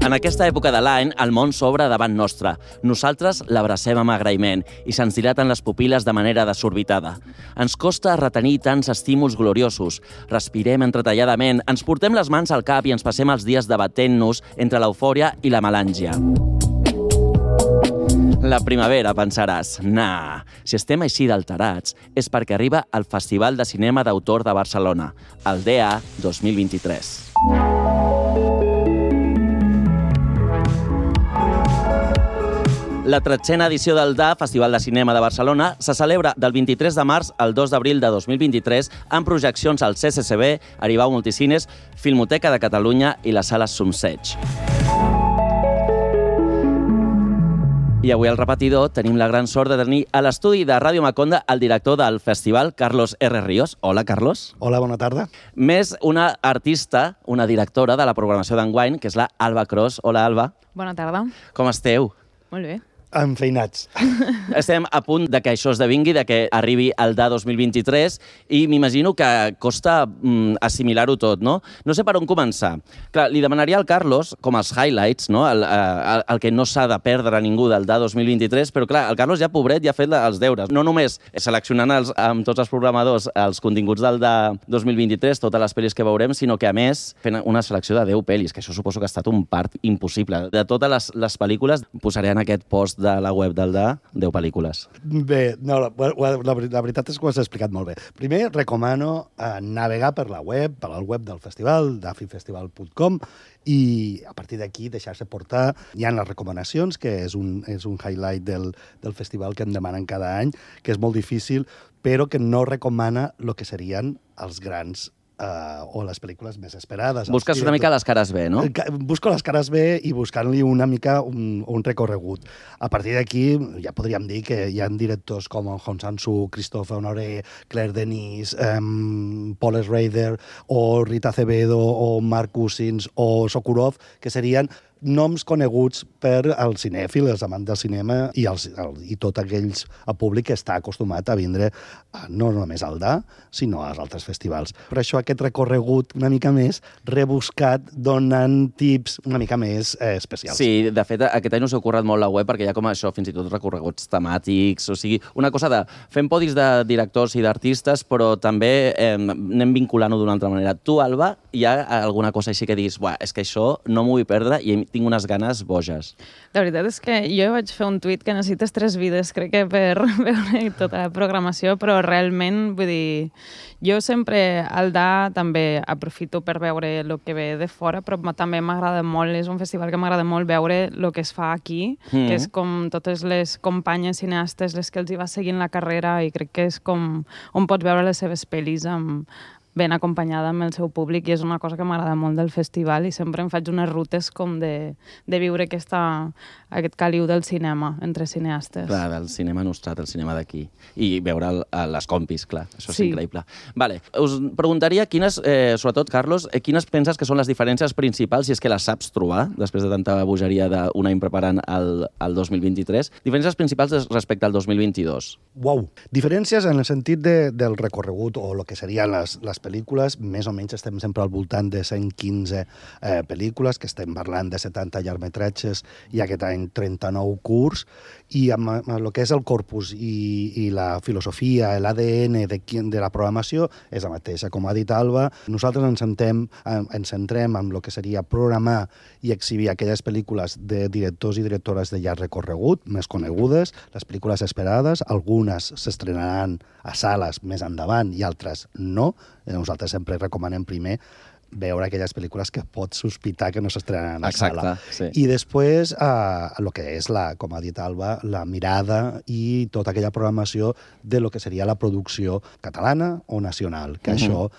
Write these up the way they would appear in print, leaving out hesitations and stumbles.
En aquesta època de l'any, el món s'obre davant nostre. Nosaltres l'abracem amb agraïment i se'ns dilaten les pupil·les de manera desorbitada. Ens costa retenir tants estímuls gloriosos. Respirem entretalladament, ens portem les mans al cap i ens passem els dies debatent-nos entre l'eufòria i la melàngia. La primavera, pensaràs. Nah, si estem així d'alterats és perquè arriba el Festival de Cinema d'Autor de Barcelona, el DA 2023. La 13a edició del DA, Festival de Cinema de Barcelona, se celebra del 23 de març al 2 d'abril de 2023 amb projeccions al CCCB, Aribau Multicines, Filmoteca de Catalunya i la Sala Sumseig. I avui al repetidor tenim la gran sort de tenir a l'estudi de Ràdio Maconda el director del festival, Carlos R. Ríos. Hola, Carlos. Hola, bona tarda. Més una artista, una directora de la programació d'enguany, que és la Alba Cros. Hola, Alba. Bona tarda. Com esteu? Molt bé. Enfeinats. Estem a punt de que això esdevingui, de que arribi el DA 2023 i m'imagino que costa assimilar-ho tot, no? No sé per on començar. Clar, li demanaria al Carlos, com els highlights, no? El que no s'ha de perdre ningú del DA 2023, però clar, el Carlos ja, pobret, ja ha fet els deures. No només seleccionant amb tots els programadors els continguts del DA 2023, totes les pel·lis que veurem, sinó que, a més, fent una selecció de 10 pel·lis, que això suposo que ha estat un part impossible. De totes les pel·lícules, posaré en aquest post de la web del DA 10 pel·lícules. Bé, no, la veritat és que ho has explicat molt bé. Primer, recomano navegar per la web, per al web del festival, dafifestival.com, i a partir d'aquí deixar-se portar. Hi ha les recomanacions, que és un highlight del festival que em demanen cada any, que és molt difícil, però que no recomana el que serien els grans o les pel·lícules més esperades. Busques una mica les cares B, no? Busco les cares B i buscant-li una mica un recorregut. A partir d'aquí ja podríem dir que hi ha directors com Hong Sang-soo, Christophe Honoré, Claire Denis, Paul Schrader, o Rita Acevedo, o Mark Cousins, o Sokurov, que serien noms coneguts per al cinèfil, els amants del cinema i tot aquells al públic que està acostumat a vindre no només al DA, sinó als altres festivals. Per això aquest recorregut una mica més rebuscat, donant tips una mica més especials. Sí, de fet, aquest any us heu currat molt la web perquè hi ha com això, fins i tot recorreguts temàtics, o sigui, una cosa de fem podis de directors i d'artistes, però també anem vinculant-ho d'una altra manera. Tu, Alba, hi ha alguna cosa així que diguis, és que això no m'ho vull perdre i tinc unes ganes boges? La veritat és que jo vaig fer un tuit que necessites 3 vides, crec que per veure tota la programació, però realment, vull dir, jo sempre al DA també aprofito per veure el que ve de fora, però també m'agrada molt, és un festival que m'agrada molt veure el que es fa aquí, que és com totes les companyes cineastes, les que els hi va seguint la carrera, i crec que és com on pots veure les seves pel·lis ben acompanyada amb el seu públic, i és una cosa que m'agrada molt del festival, i sempre em faig unes rutes com de viure aquest caliu del cinema entre cineastes. Clar, del cinema nostrat, el cinema d'aquí. I veure les compis, clar, això és increïble. Vale. Us preguntaria quines, sobretot, Carlos, quines penses que són les diferències principals, si és que les saps trobar, després de tanta bogeria d'un any preparant el 2023, diferències principals respecte al 2022? Uau! Diferències en el sentit del recorregut, o el que serien les pel·lícules, més o menys estem sempre al voltant de 115 pel·lícules, que estem parlant de 70 llargmetratges i aquest any 39 curts, i amb el que és el corpus i la filosofia, l'ADN de la programació és la mateixa. Com ha dit Alba, nosaltres ens centrem en el que seria programar i exhibir aquelles pel·lícules de directors i directores de llarg recorregut, més conegudes, les pel·lícules esperades, algunes s'estrenaran a sales més endavant i altres no. Nosaltres sempre recomanem primer veure aquelles pel·lícules que pots sospitar que no s'estrenaran a sala. Sí. I després, el que és, com ha dit Alba, la mirada i tota aquella programació de lo que seria la producció catalana o nacional, que això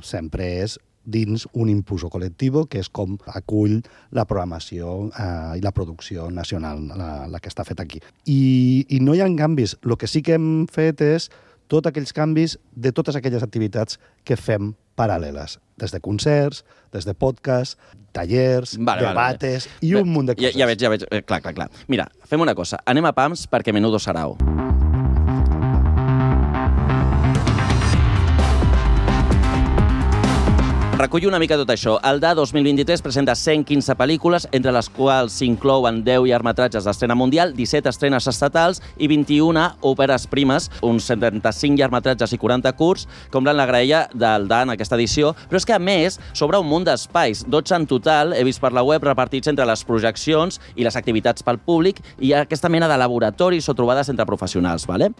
sempre és dins un impulso col·lectiu, que és com acull la programació i la producció nacional, la que està feta aquí. I no hi ha canvis. El que sí que hem fet és tots aquells canvis de totes aquelles activitats que fem paral·leles, des de concerts, des de podcasts, tallers, debates i un munt de coses. Ja veig. Clar. Mira, fem una cosa. Anem a pams perquè menudo sarau. Recullo una mica tot això. El DA 2023 presenta 115 pel·lícules, entre les quals s'inclouen 10 llargmetratges d'estrena mundial, 17 estrenes estatals i 21 òperes primes, uns 75 llargmetratges i 40 curts, com la graella del DA en aquesta edició. Però és que, a més, s'obre un munt d'espais, 12 en total, he vist per la web, repartits entre les projeccions i les activitats pel públic, i hi ha aquesta mena de laboratoris o trobades entre professionals. Vale?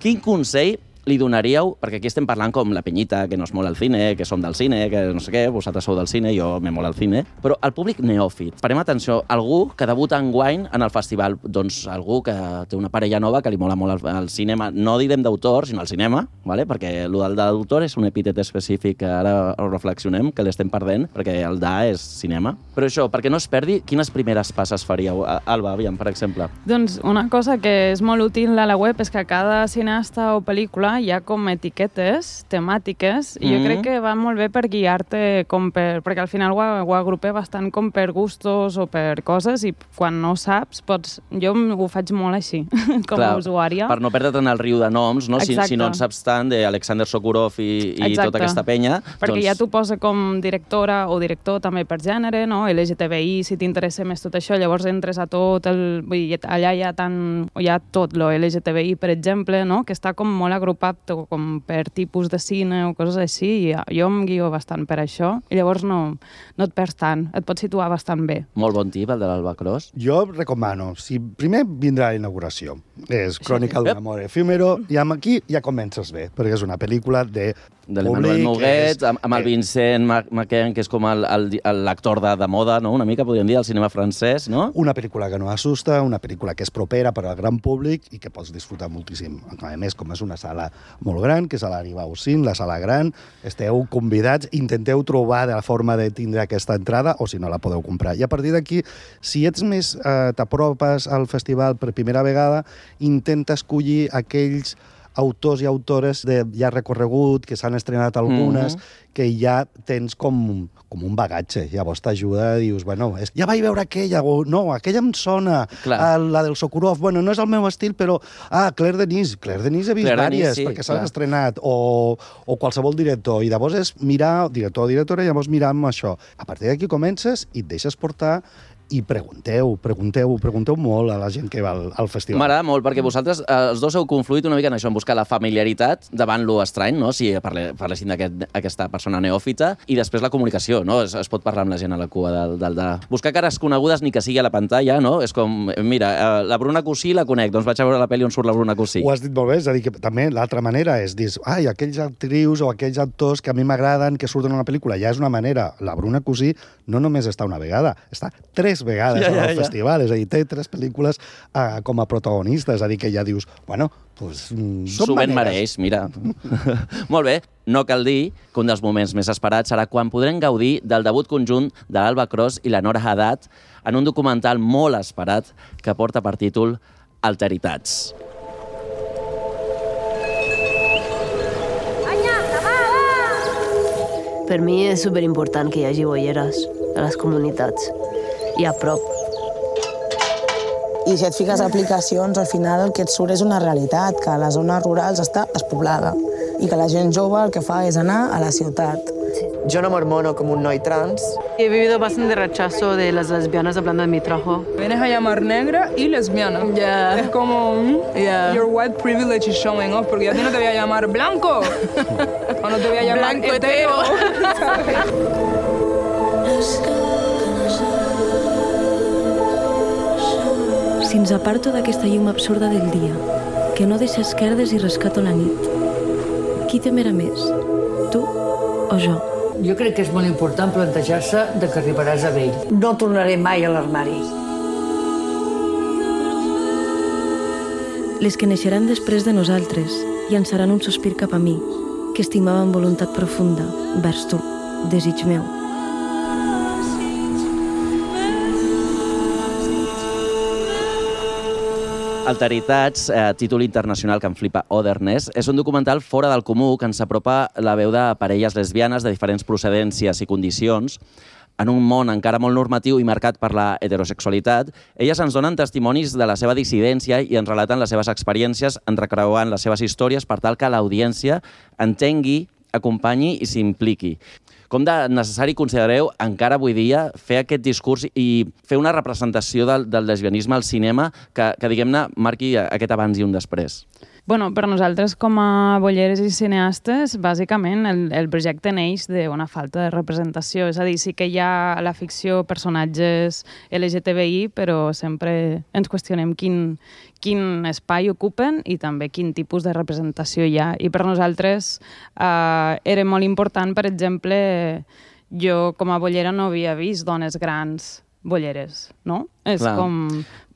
Quin consell li donaríeu, perquè aquí estem parlant com la penyita, que no es mola el cine, que som del cine, que no sé què, vosaltres sou del cine, jo me mola el cine, però el públic neòfit. Parem atenció, algú que debuta enguany en el festival, doncs algú que té una parella nova que li mola molt el cinema, no direm d'autor, sinó el cinema, ¿vale? Perquè el d'autor és un epítet específic que ara ho reflexionem, que l'estem perdent, perquè el DA és cinema. Però això, perquè no es perdi, quines primeres passes faríeu? Alba, aviam, per exemple. Doncs una cosa que és molt útil a la web és que cada cineasta o pel·lícula hi ha com etiquetes temàtiques i jo crec que va molt bé per guiar-te perquè al final ho agrupé bastant com per gustos o per coses i quan no saps pots... Jo ho faig molt així, com a usuària. Per no perdre't en el riu de noms, no? Si no en saps tant d'Alexander Sokurov i tota aquesta penya... Perquè ja t'ho posa com directora o director també per gènere, no? LGTBI, si t'interessa més tot això, llavors entres a tot Vull dir, allà hi ha tot lo LGTBI, per exemple, no? Que està com molt agrupat com per tipus de cine o coses així, i jo em guio bastant per això, i llavors no et perds tant, et pots situar bastant bé. Molt bon tip, el de l'Alba Cros. Jo recomano, primer vindrà la inauguració, és Crònica d'un amor efímero, i aquí ja comences bé, perquè és una pel·lícula de l'Emmanuel Noguet, amb el Vincent McCain, que és com l'actor de moda, no? Una mica, podríem dir, al cinema francès, no? Una pel·lícula que no assusta, una pel·lícula que és propera per al gran públic i que pots disfrutar moltíssim. A més, com és una sala molt gran, que és a l'Aribau Cine, la sala gran, esteu convidats, intenteu trobar la forma de tindre aquesta entrada, o si no la podeu comprar. I a partir d'aquí, si ets més t'apropes al festival per primera vegada, intenta escollir aquells autors i autores de ja recorregut, que s'han estrenat algunes, que ja tens com un bagatge. Llavors t'ajuda, dius, bueno, ja vaig veure aquella, o no, aquella em sona, la del Sokurov, bueno, no és el meu estil, però, Claire Denis he vist diverses, perquè s'han estrenat, o qualsevol director, i llavors és mirar, director o directora, llavors mirar amb això. A partir d'aquí comences i et deixes portar i pregunteu molt a la gent que va al festival. M'agrada molt, perquè vosaltres, els dos heu confluït una mica en això, en buscar la familiaritat davant lo estrany, no? Si parlessin d'aquesta persona neòfita, i després la comunicació, no? Es pot parlar amb la gent a la cua del buscar cares conegudes ni que sigui a la pantalla, no? És com, mira, la Bruna Cusí la conec, doncs vaig a veure la pel·li on surt la Bruna Cusí. Ho has dit molt bé, és a dir, que també l'altra manera és dir, aquells actrius o aquells actors que a mi m'agraden, que surten en una pel·lícula, ja és una manera. La Bruna Cusí no només està una vegada, està 3 vegades al festival, és a dir, té 3 pel·lícules com a protagonistes, és a dir, que ja dius, bueno, doncs són maneres. Mereix, mira. Molt bé, no cal dir que un dels moments més esperats serà quan podrem gaudir del debut conjunt de l'Alba Cros i la Nora Haddad en un documental molt esperat que porta per títol Alteritats. Per mi és superimportant que hi hagi boieres a les comunitats i a prop. I si et fiques a aplicacions, al final el que et surt és una realitat, que a les zones rurals està despoblada i que la gent jove el que fa és anar a la ciutat. Yo no me hormono como un noi trans. He vivido bastante rechazo de las lesbianas hablando de mi trabajo. Vienes a llamar negra y lesbiana. Es como, your white privilege is showing off, porque ya a ti no te voy a llamar blanco, o no te voy a llamar blanco hetero. Si ens aparto d'aquesta llum absurda del dia, que no deixa esquerdes i rescato la nit, qui temerà més, tu o jo? Jo crec que és molt important plantejar-se de que arribaràs a vell. No tornaré mai a l'armari. Les que neixeran després de nosaltres llançaran un sospir cap a mi, que estimava amb voluntat profunda, vers tu, desig meu. Alteritats, títol internacional que em flipa, Otherness, és un documental fora del comú que ens apropa la veu de parelles lesbianes de diferents procedències i condicions. En un món encara molt normatiu i marcat per la heterosexualitat, elles ens donen testimonis de la seva dissidència i ens relaten les seves experiències, entrecreuant les seves històries per tal que l'audiència entengui, acompanyi i s'impliqui. Com de necessari considereu encara avui dia fer aquest discurs i fer una representació del lesbianisme al cinema que diguem-ne, marqui aquest abans i un després? Bueno, per nosaltres com a bolleres i cineastes, bàsicament el projecte neix d'una falta de representació. És a dir, sí que hi ha a la ficció personatges LGTBI, però sempre ens qüestionem quin espai ocupen i també quin tipus de representació hi ha. I per nosaltres era molt important, per exemple, jo com a bollera no havia vist dones grans bolleres, no? És com...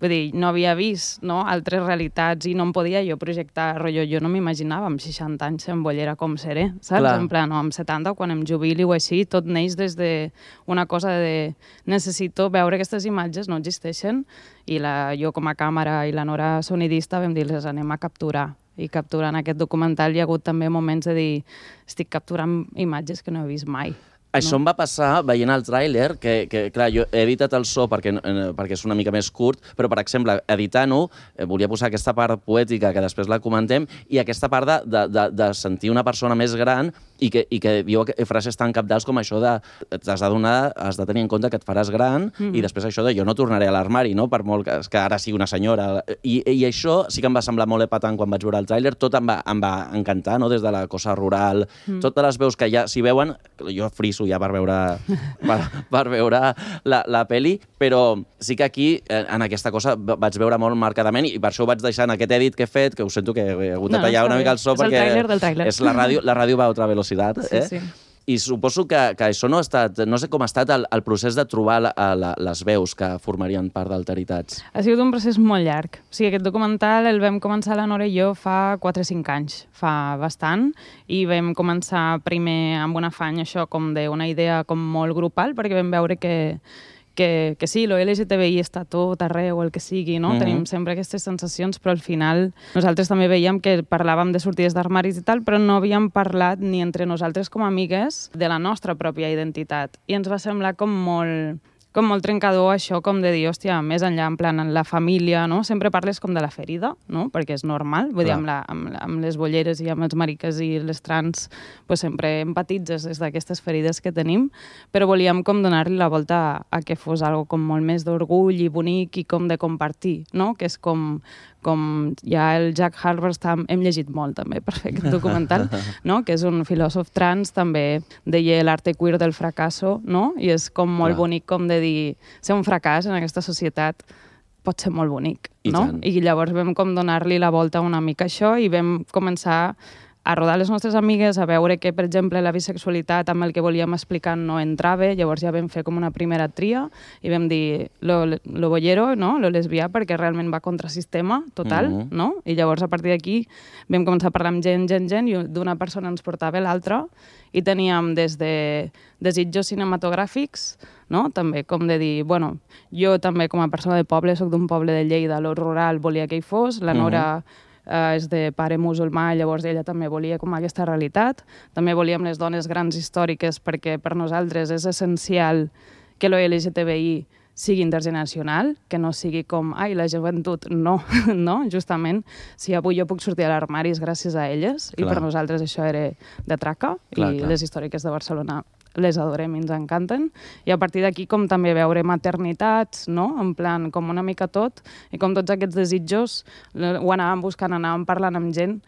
Vull dir, no havia vist altres realitats i no em podia jo projectar, jo no m'imaginava amb 60 anys en bollera com seré, saps? En plan, amb 70, quan em jubili o així, tot neix des d'una cosa de necessito veure aquestes imatges, no existeixen, i jo com a càmera i la Nora sonidista vam dir, les anem a capturar. I capturant aquest documental hi ha hagut també moments de dir, estic capturant imatges que no he vist mai. Això em va passar veient el tràiler, que clar, jo he editat el so perquè és una mica més curt, però, per exemple, editant-ho, volia posar aquesta part poètica que després la comentem i aquesta part de sentir una persona més gran i que diu frases tan cabdals com això de has de tenir en compte que et faràs gran i després això de jo no tornaré a l'armari, no? Per molt que ara sigui una senyora. I això sí que em va semblar molt epatant quan vaig veure el tràiler, tot em va encantar, no? Des de la cosa rural, totes les veus que ja s'hi veuen, jo friso ja per veure la pel·li, però sí que aquí, en aquesta cosa, vaig veure molt marcadament i per això ho vaig deixar en aquest edit que he fet, que ho sento que he hagut de tallar una mica el so perquè és la ràdio va a altra velocitat. Sí. I suposo que això no ha estat... No sé com ha estat el procés de trobar les veus que formarien part d'Alteritats. Ha sigut un procés molt llarg. O sigui, aquest documental el vam començar la Nora i jo fa 4 o 5 anys, fa bastant, i vam començar primer amb un afany, això, com d'una idea com molt grupal, perquè vam veure que sí, lo LGTBI està tot arreu, el que sigui, no? Tenim sempre aquestes sensacions, però al final nosaltres també veiem que parlàvem de sortides d'armaris i tal, però no havíem parlat ni entre nosaltres com a amigues de la nostra pròpia identitat. I ens va semblar com molt trencador això, com de dir, hòstia, més enllà, en plan, en la família, no? Sempre parles com de la ferida, no? Perquè és normal, vull dir, amb les bolleres i amb els mariques i les trans, pues sempre empatitzes des d'aquestes ferides que tenim, però volíem com donar-li la volta a que fos algo com molt més d'orgull i bonic i com de compartir, no? Que és com ja el Jack Halberstam, hem llegit molt també per fer aquest documental, no? Que és un filòsof trans, també deia l'arte queer del fracasso, no? I és com molt bonic com de dir, ser un fracàs en aquesta societat pot ser molt bonic, no? I llavors vam com donar-li la volta una mica a això i vam començar a rodar les nostres amigues, a veure que, per exemple, la bisexualitat amb el que volíem explicar no entrava, llavors ja vam fer com una primera tria i vam dir lo bollero, no? Lo lesbià, perquè realment va contra sistema total, no? I llavors a partir d'aquí vam començar a parlar amb gent, i d'una persona ens portava l'altra i teníem des de desitjos cinematogràfics, no? També com de dir, bueno, jo també com a persona de poble, soc d'un poble de Lleida, lo rural volia que hi fos, la Nora és de pare musulmà, llavors ella també volia com aquesta realitat. També volíem les dones grans històriques perquè per nosaltres és essencial que lo LGTBI sigui intergeneracional, que no sigui com, ai, la joventut, no, justament, si avui jo puc sortir a l'armari és gràcies a elles, i per nosaltres això era de traca, i les històriques de Barcelona les adorem i ens encanten, i a partir d'aquí com també veure maternitats, no? En plan, com una mica tot, i com tots aquests desitjos ho anàvem buscant, anàvem parlant amb gent,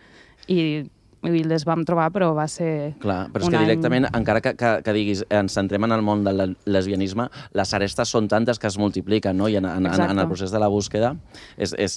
i les vam trobar, però va ser clar, però és que directament, encara que diguis ens centrem en el món del lesbianisme, les arestes són tantes que es multipliquen, no? I en el procés de la búsqueda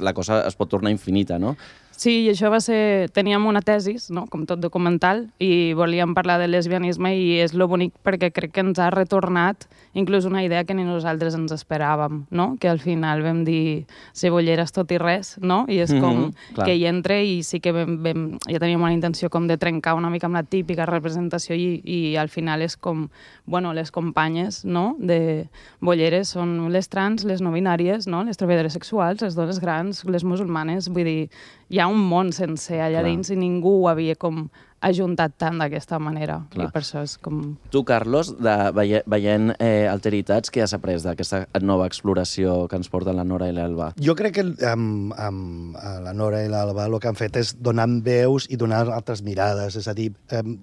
la cosa es pot tornar infinita, no? Sí, i això va ser... Teníem una tesis, no? Com tot documental, i volíem parlar del lesbianisme i és lo bonic perquè crec que ens ha retornat inclús una idea que ni nosaltres ens esperàvem, no? Que al final vam dir ser bolleres tot i res, no? I és com que hi entre i sí que ja teníem una intenció com de trencar una mica amb la típica representació i al final és com, bueno, les companyes, no? De bolleres són les trans, les no binàries, no? Les treballadores sexuals, les dones grans, les musulmanes, vull dir, hi ha un món sencer allà dins i ningú ho havia com ajuntat tant d'aquesta manera. Clar. I per això és com... Tu, Carlos, veient Alteritats, què has après d'aquesta nova exploració que ens porten la Nora i l'Alba? Jo crec que amb la Nora i l'Alba el que han fet és donar veus i donar altres mirades. És a dir,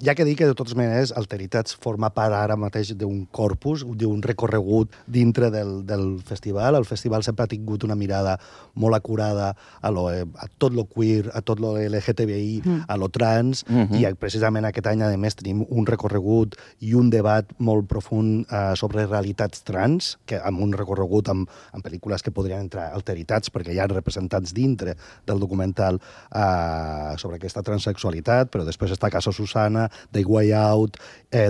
ja que dic que de totes maneres Alteritats forma part ara mateix d'un corpus, d'un recorregut dintre del festival. El festival sempre ha tingut una mirada molt acurada a tot lo queer, a tot lo LGTBI, a lo trans, i precisament aquest any, a més, tenim un recorregut i un debat molt profund sobre realitats trans, que amb un recorregut amb pel·lícules que podrien entrar Alteritats, perquè hi ha representants dintre del documental sobre aquesta transsexualitat, però després està Casa Susana, The Way Out,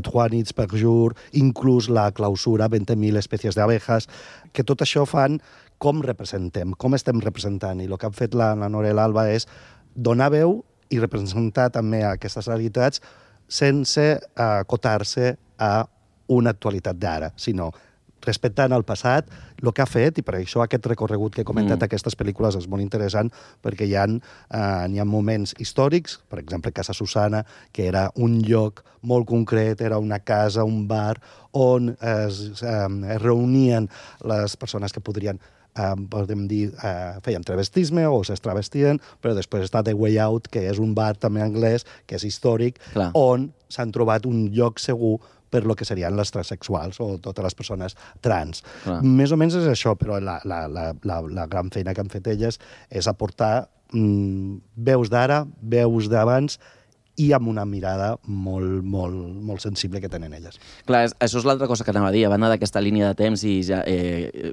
Trois nits per jour, inclús la clausura 20.000 espècies d'abejas, que tot això fan com representem, com estem representant. I el que han fet la Nora i l'Alba és donar veu i representar també aquestes realitats sense acotar-se a una actualitat d'ara, sinó respectant el passat, el que ha fet, i per això aquest recorregut que he comentat aquestes pel·lícules és molt interessant, perquè hi ha moments històrics, per exemple, Casa Susana, que era un lloc molt concret, era una casa, un bar, on es reunien les persones que podrien podem dir, feien travestisme o s'estravestien, però després està The Way Out, que és un bar també anglès, que és històric, on s'han trobat un lloc segur per lo que serien les transsexuals o totes les persones trans. Més o menys és això, però la gran feina que han fet elles és aportar veus d'ara, veus d'abans, i amb una mirada molt, molt, molt sensible que tenen elles. Clar, això és l'altra cosa que anava a dir. A banda d'aquesta línia de temps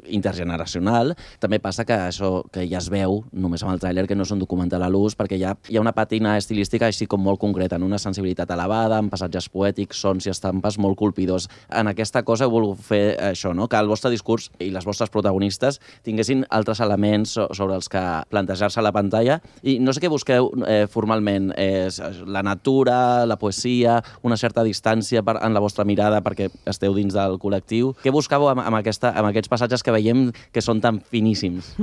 intergeneracional, també passa que això que ja es veu, només amb el tràiler, que no és un documental a l'ús, perquè hi ha una patina estilística així com molt concreta, en una sensibilitat elevada, amb passatges poètics, sons i estampes molt colpidors. En aquesta cosa heu volgut fer això, no? Que el vostre discurs i les vostres protagonistes tinguessin altres elements sobre els que plantejar-se a la pantalla. I no sé què busqueu formalment. La natura, la poesia, una certa distància en la vostra mirada perquè esteu dins del col·lectiu. Què buscàveu amb aquests passatges que veiem que són tan finíssims?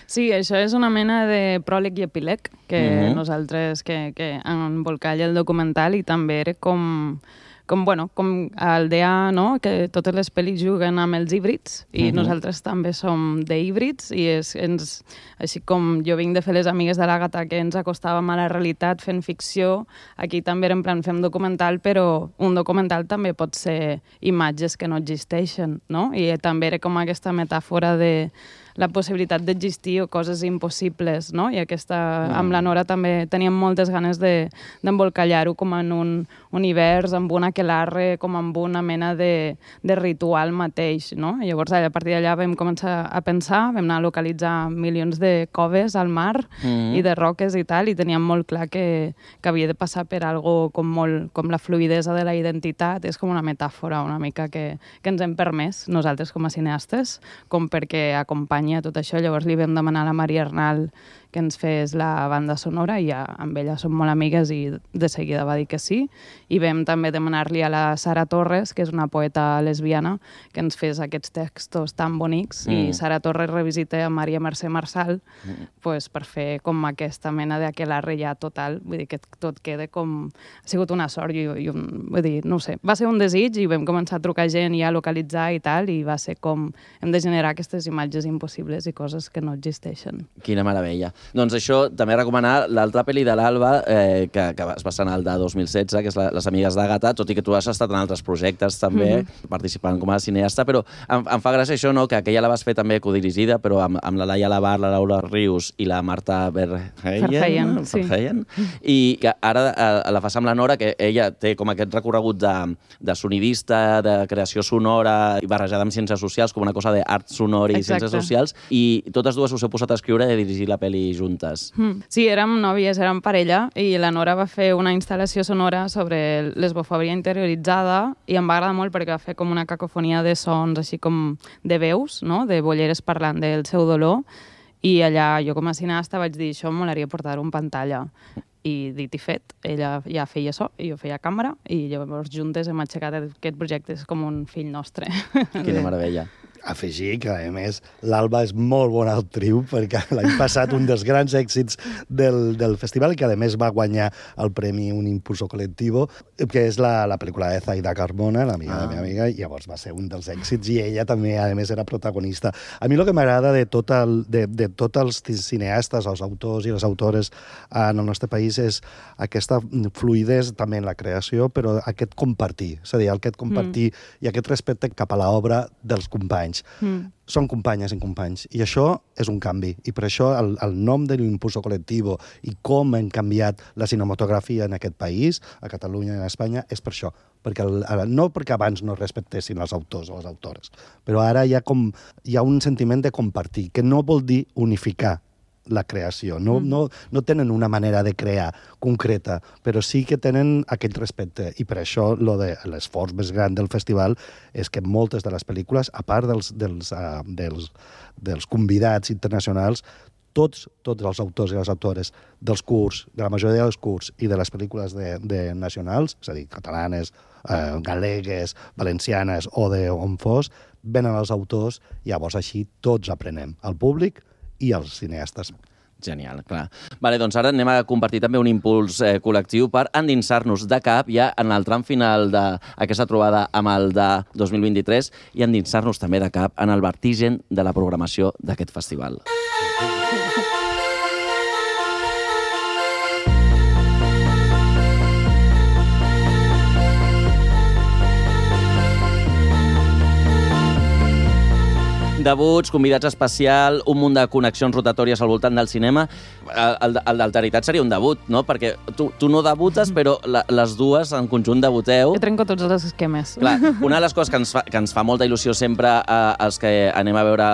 Sí, això és una mena de pròleg i epíleg que nosaltres que embolcalla el documental, i també era com el DEA, no? Que totes les pel·lis juguen amb els híbrids, i nosaltres també som d'híbrids, i així com jo vinc de fer Les amigues de l'Àgata, que ens acostàvem a la realitat fent ficció, aquí també era en plan fem documental, però un documental també pot ser imatges que no existeixen, no? I també era com aquesta metàfora de la possibilitat d'existir o coses impossibles, no? I amb la Nora també teníem moltes ganes d'embolcallar-ho com en un univers, amb un aquelarre, com amb una mena de ritual mateix, no? I llavors, a partir d'allà vam començar a pensar, vam anar a localitzar milions de coves al mar i de roques i tal, i teníem molt clar que havia de passar per algo com la fluidesa de la identitat. És com una metàfora una mica que ens hem permès nosaltres com a cineastes, com perquè acompanya tot això. Llavors li vam demanar a la Maria Arnal que ens fes la banda sonora, i ja amb ella som molt amigues i de seguida va dir que sí. I vam també demanar-li a la Sara Torres, que és una poeta lesbiana, que ens fes aquests textos tan bonics, i Sara Torres revisita a Maria Mercè Marçal per fer com aquesta mena d'aquelarre ja total. Vull dir que tot queda com... Ha sigut una sort, vull dir, no ho sé. Va ser un desig i vam començar a trucar gent i a localitzar i tal, i va ser com hem de generar aquestes imatges impossibles i coses que no existeixen. Quina meravella. Doncs això, també recomanar l'altra pel·li de l'Alba, que es va estrenar el de 2016, que és Les amigues d'Àgata, tot i que tu has estat en altres projectes també, participant com a cineasta, però em fa gràcia això, no?, que aquella la vas fer també codirigida, però amb la Laia Labar, la Laura Rius i la Marta Verheyen, i que ara la fas amb la Nora, que ella té com aquest recorregut de sonidista, de creació sonora, i barrejada amb ciències socials, com una cosa d'art sonor i ciències socials, i totes dues us heu posat a escriure i a dirigir la pel·li juntes. Sí, érem nòvies, érem parella, i la Nora va fer una instal·lació sonora sobre lesbofòbia interioritzada, i em va agradar molt perquè va fer com una cacofonia de sons, així com de veus, no?, de bolleres parlant del seu dolor, i allà jo com a cineasta vaig dir, això em molaria portar-ho en pantalla. I dit i fet, ella ja feia so i jo feia càmera, i llavors juntes hem aixecat aquest projecte, és com un fill nostre. Quina meravella. afegir que, a més, l'Alba és molt bona actriu, perquè l'any passat un dels grans èxits del festival, i que, a més, va guanyar el premi Un Impulso Colectivo, que és la pel·lícula de Zaida Carmona, l'amiga de la meva amiga, i llavors va ser un dels èxits, i ella també, a més, era protagonista. A mi el que m'agrada de tots els cineastes, els autors i les autores en el nostre país és aquesta fluïdesa també en la creació, però aquest compartir, és a dir, aquest compartir i aquest respecte cap a l'obra dels companys. Són companyes i companys, i això és un canvi, i per això el nom de l'Impulso Colectivo i com hem canviat la cinematografia en aquest país, a Catalunya i a Espanya, és per això. No perquè abans no respectessin els autors o les autores, però ara hi ha un sentiment de compartir, que no vol dir unificar la creació. No tenen una manera de crear concreta, però sí que tenen aquell respecte. I per això l'esforç més gran del festival és que moltes de les pel·lícules, a part dels convidats internacionals, tots els autors i les autores dels curs, de la majoria dels curs i de les pel·lícules nacionals, és a dir, catalanes, galegues, valencianes o d'on fos, venen els autors, llavors així tots aprenem, el públic i els cineastes. Genial, clar. Vale, doncs ara anem a compartir també un impuls col·lectiu per endinsar-nos de cap ja en el tram final d'aquesta trobada amb el de 2023 i endinsar-nos també de cap en el vertigen de la programació d'aquest festival. Debuts, convidats especial, un munt de connexions rotatòries al voltant del cinema. El d'Alteritat seria un debut, no? Perquè tu no debutes, però les dues en conjunt debuteu. Jo trenco tots els esquemes. Clar, una de les coses que ens fa molta il·lusió sempre als que anem a veure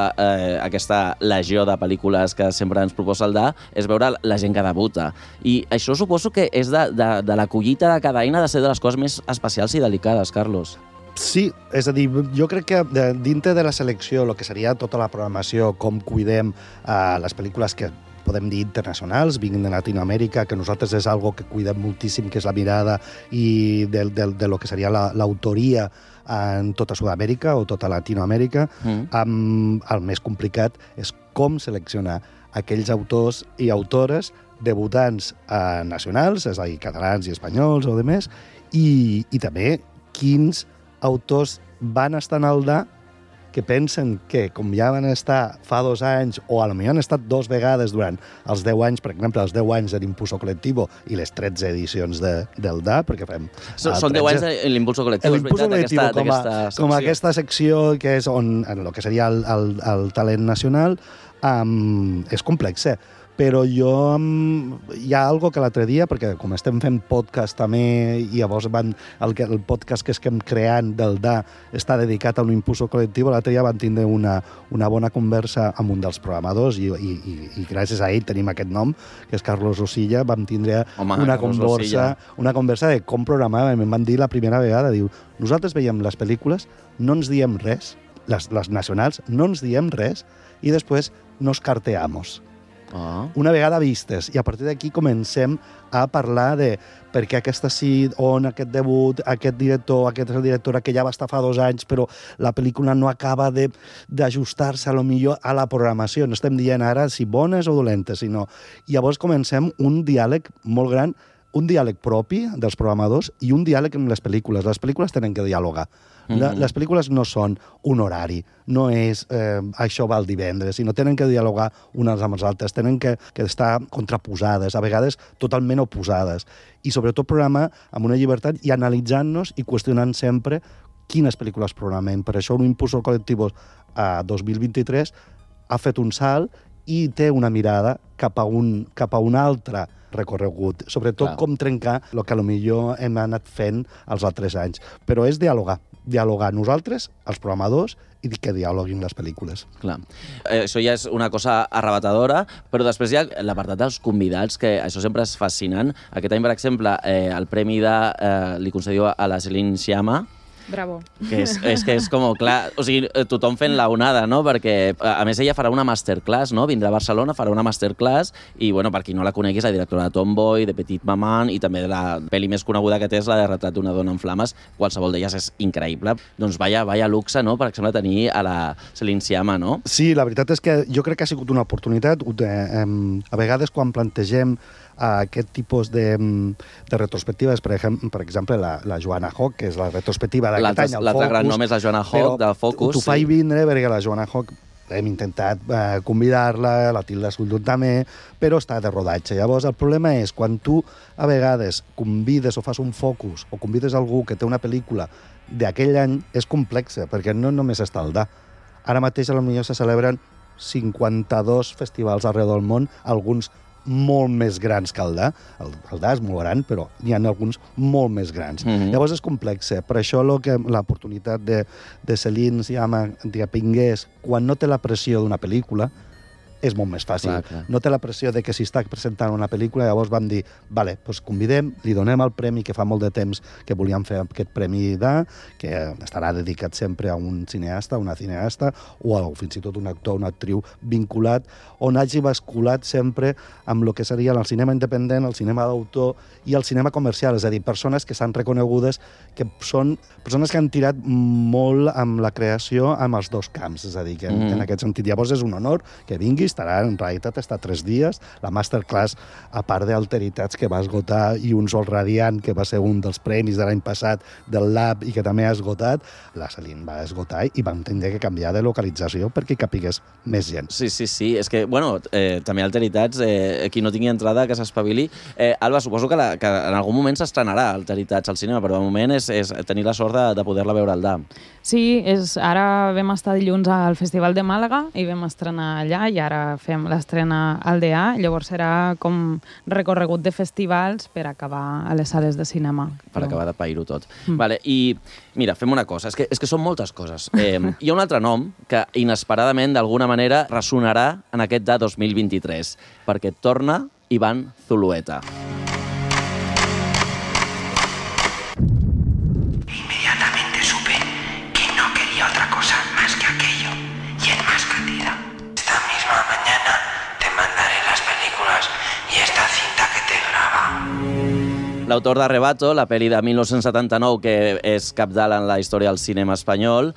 aquesta legió de pel·lícules que sempre ens proposa el DA és veure la gent que debuta. I això suposo que és de la collita de cada any ha de ser de les coses més especials i delicades, Carlos. Sí, és a dir, jo crec que dintre de la selecció, el que seria tota la programació, com cuidem les pel·lícules que podem dir internacionals, vinguin de Latinoamèrica, que nosaltres és algo que cuidem moltíssim, que és la mirada i de lo que seria l'autoria en tota Sud-amèrica o tota Latinoamèrica. El més complicat és com seleccionar aquells autors i autores debutants nacionals, és a dir, catalans i espanyols o demés, i també quins autors van estar en el DA que pensen que, com ja van estar fa 2 anys, o a lo millor han estat 2 vegades durant els 10 anys, per exemple, els 10 anys de l'Impulso Colectivo i les 13 edicions del DA, perquè fem... Són 10 anys de l'Impulso Colectivo, és veritat, com aquesta secció que és on el que seria el talent nacional, és complex, però hi ha algo que l'altre dia, perquè com estem fent podcast també, i llavors el podcast que estem creant del DA està dedicat a un impulso col·lectiu, l'altre dia vam tindre una bona conversa amb un dels programadors i gràcies a ell tenim aquest nom, que és Carlos Osilla, vam tindre una conversa de com programàvem. Em van dir la primera vegada, diu, nosaltres veiem les pel·lícules, no ens diem res, les nacionals, no ens diem res, i després nos carteamos. Una vegada vistes, i a partir d'aquí comencem a parlar de per què aquesta sí, on aquest debut, aquest director, aquesta directora que ja va estar fa 2 anys, però la pel·lícula no acaba d'ajustar-se a lo millor a la programació. No estem dient ara si bones o dolentes, sinó... I llavors comencem un diàleg molt gran, un diàleg propi dels programadors i un diàleg amb les pel·lícules. Les pel·lícules tenen que dialogar. Les pel·lícules no són un horari, no és això va el divendres, sinó tenen que dialogar unes amb les altres, tenen que estar contraposades, a vegades totalment oposades, i sobretot programar amb una llibertat i analitzant-nos i qüestionant sempre quines pel·lícules programem. Per això l'Impulso Colectivo a 2023 ha fet un salt i té una mirada cap a un altre recorregut, sobretot com trencar el que potser hem anat fent els altres anys. Però és dialogar nosaltres, els programadors, i que dialoguin les pel·lícules. Clar. Això ja és una cosa arrebatadora, però després hi ha l'apartat dels convidats, que això sempre és fascinant. Aquest any, per exemple, el premi li concediu a la Céline Sciamma, Bravo. Que és com, clar, o sigui, tothom fent la onada, no? Perquè, a més, ella farà una masterclass, no? Vindrà a Barcelona, farà una masterclass i, bueno, per qui no la conegui, és la directora de Tomboy, de Petite Maman i també de la pel·li més coneguda que té és la de Retrat d'una dona en flames. Qualsevol d'elles és increïble. Doncs vaya luxe, no?, per exemple, tenir a la Céline Sciamma, no? Sí, la veritat és que jo crec que ha sigut una oportunitat. A vegades, quan plantegem aquest tipus de retrospectives, per exemple, la Joanna Hock, que és la retrospectiva d'aquest any al Focus. L'altre gran nom és la Joanna Hock, de Focus. T'ho faig vindre perquè la Joanna Hock hem intentat convidar-la, la Tilda Swinton també, però està de rodatge. Llavors, el problema és quan tu a vegades convides o fas un focus o convides algú que té una pel·lícula d'aquell any, és complexa, perquè no només està el DA. Ara mateix, potser se celebren 52 festivals arreu del món, alguns molt més grans que el DA. El DA és molt gran, però n'hi ha alguns molt més grans. Llavors és complex. Per això l'oportunitat de Céline Sciamma que vingués quan no té la pressió d'una pel·lícula és molt més fàcil. Clar. No té la pressió de que si està presentant una pel·lícula, llavors vam dir, vale, doncs convidem, li donem el premi, que fa molt de temps que volíem fer aquest premi d'A, que estarà dedicat sempre a un cineasta, una cineasta, o fins i tot un actor, una actriu vinculat, on hagi basculat sempre amb el que seria el cinema independent, el cinema d'autor i el cinema comercial, és a dir, persones que s'han reconegudes, que són persones que han tirat molt amb la creació amb els dos camps, és a dir, que en aquest sentit. Llavors és un honor que vinguis, en realitat està 3 dies, la masterclass, a part d'Alteritats, que va esgotar, i Un sol radiant, que va ser un dels premis de l'any passat del Lab i que també ha esgotat, la Céline va esgotar i vam tindre que canviar de localització perquè capigués més gent. Sí. És que, bueno, també Alteritats, qui no tingui entrada, que s'espavili. Alba, suposo que en algun moment s'estrenarà Alteritats al cinema, però de moment és tenir la sort de poder-la veure al DAM. Sí, ara vam estar dilluns al Festival de Màlaga i vam estrenar allà i ara fem l'estrena al DA, llavors serà com recorregut de festivals per acabar a les sales de cinema. Per acabar de pair-ho tot. Vale, i mira, fem una cosa, és que són moltes coses. Hi ha un altre nom que inesperadament d'alguna manera ressonarà en aquest DA 2023, perquè torna Iván Zulueta. L'autor d'Arrebato, la pel·li de 1979, que és cabdal en la història del cinema espanyol,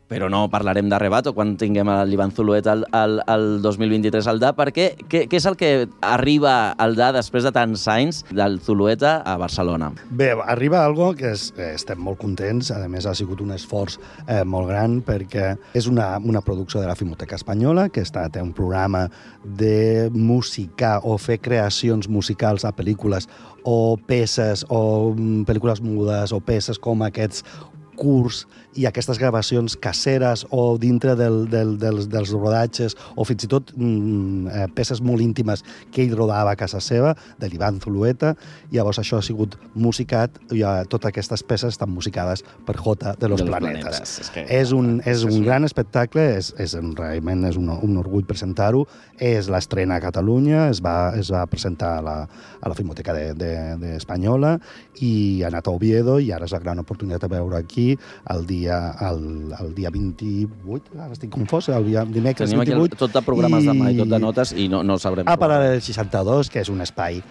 però no parlarem d'Arrebato quan tinguem l'Iván Zulueta el 2023 al DA, perquè què és el que arriba al DA després de tants anys del Zulueta a Barcelona? Bé, arriba algo que estem molt contents, a més ha sigut un esforç molt gran, perquè és una producció de la Filmoteca Espanyola, que té un programa de musicar o fer creacions musicals a pel·lícules o peces o pel·lícules mudes o peces com aquests curts i aquestes gravacions caseres o dintre dels rodatges o fins i tot peces molt íntimes que ell rodava a casa seva, de l'Iván Zulueta. Llavors això ha sigut musicat i totes aquestes peces estan musicades per Jota de los Planetas. És un gran espectacle, realment és un orgull presentar-ho. És l'estrena a Catalunya, es va presentar a la Filmoteca Espanyola i ha anat a Oviedo i ara és la gran oportunitat de veure aquí el dia 28, ara estic confós, el dimecres 28. Tenim aquí tot de programes demà i tot de notes i no sabrem. A Paral·lel 62, que és un espai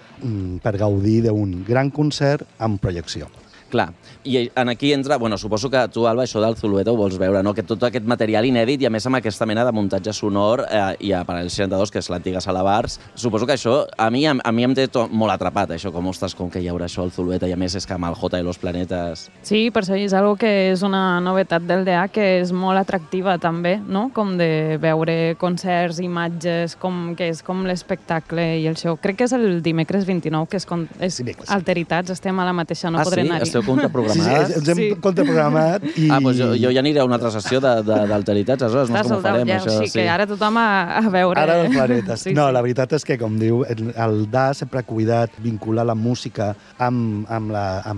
per gaudir d'un gran concert amb projecció. Clar, i aquí entra, suposo que tu, Alba, això del Zulueta ho vols veure, no? Que tot aquest material inèdit i a més amb aquesta mena de muntatge sonor i a Paral·lel 62, que és l'antiga Sala Bars, suposo que això a mi em té molt atrapat, això, com que hi haurà això al Zulueta, i a més és que amb el Jota i los Planetas... Sí, per això és algo que és una novetat del DA que és molt atractiva també, no? Com de veure concerts, imatges, que és com l'espectacle i el show. Crec que és el dimecres 29, que és Alteritats, estem a la mateixa, no podré anar-hi. Esteu contraprogramats? Sí, ens hem contraprogramat. Doncs jo ja aniré a una altra sessió d'Alteritats, aleshores no sé com ho farem. Sí, que ara tothom a veure... Ara els planetes. No, la veritat és que, com diu, el DA sempre ha cuidat vincular la música amb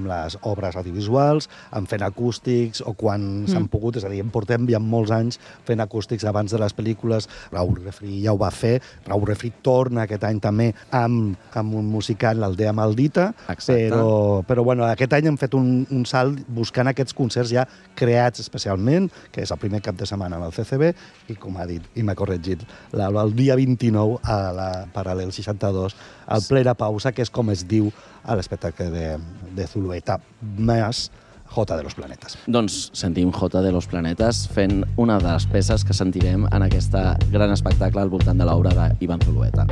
les obres audiovisuals, amb fent acústics, o quan s'han pogut, és a dir, portem ja molts anys fent acústics abans de les pel·lícules. Raúl Refri ja ho va fer. Raúl Refri torna aquest any també amb un musical, l'Aldea Maldita, però aquest any hem fet fet un salt buscant aquests concerts ja creats especialment, que és el primer cap de setmana amb el CCB, i com ha dit, i m'ha corregit, el dia 29 a la Paral·lel 62, al Plena Pausa, que és com es diu a l'espectacle de Zulueta, més Jota de los Planetes. Doncs sentim Jota de los Planetes fent una de les peces que sentirem en aquest gran espectacle al voltant de l'obra d'Ivan Zulueta.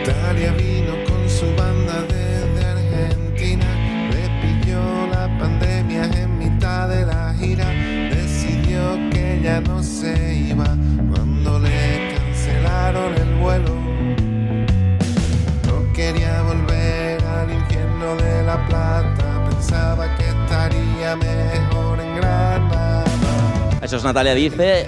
Natalia vino con su banda desde Argentina, le pilló la pandemia en mitad de la gira, decidió que ya no se iba cuando le cancelaron el vuelo. No quería volver al infierno de La Plata, pensaba que estaría mejor en Granada. Això és Natalia Dice,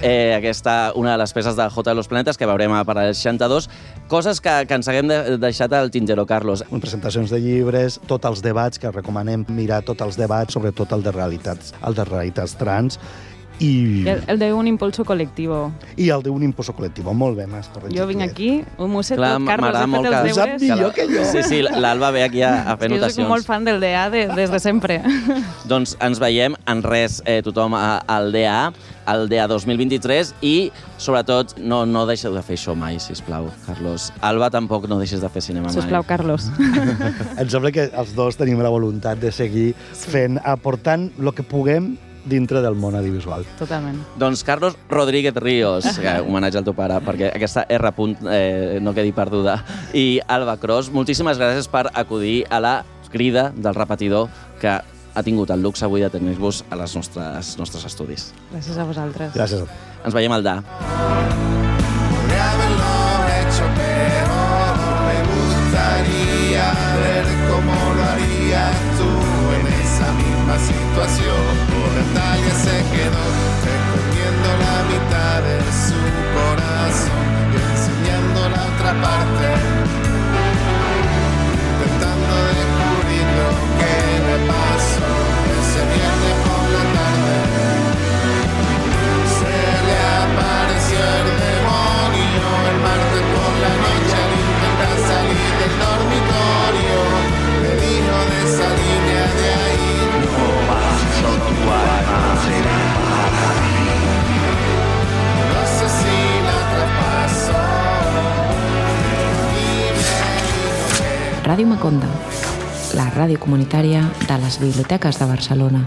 una de les peces de Jota de los Planetes que veurem a Paral·lel 62. Coses que ens haguem deixat al tintero, Carlos. Presentacions de llibres, tots els debats, que recomanem mirar tots els debats, sobretot el de realitats trans, i el de un impulso colectivo. I el de un impulso colectivo. Molt bé, m'has corregit. Jo vinc aquí, m'ho sé Clar, tot, Carlos, he fet els deures. Sap millor que jo. Sí, l'Alba ve aquí a fer notacions. Jo soc molt fan del DA des de sempre. Doncs ens veiem en res tothom al DA, el DA 2023, i sobretot no deixeu de fer això mai, sisplau, Carlos. Alba, tampoc no deixes de fer cinema mai. Sisplau, Carlos. Em sembla que els dos tenim la voluntat de seguir fent, aportant el que puguem dintre del món audiovisual. Totalment. Doncs Carlos Rodríguez Ríos, homenatge al teu pare, perquè aquesta R. No quedi perduda. I Alba Cros, moltíssimes gràcies per acudir a la crida del repetidor que ha tingut el luxe avui de tenir-vos a les nostres estudis. Gràcies a vosaltres. Gràcies. Ens veiem al DA. Ver cómo lo harías tú en esa misma situación. Natalia se quedó escondiendo la mitad de su corazón y enseñando la otra parte, intentando descubrir lo que le pasó ese viernes por la tarde. Se le apareció el demonio el martes por la noche al intentar salir del dormitorio. Le dijo de esa línea de ahí no paso tu alma será para mí. No sé si la traspasó. Ràdio Maconda, la ràdio comunitària de les biblioteques de Barcelona.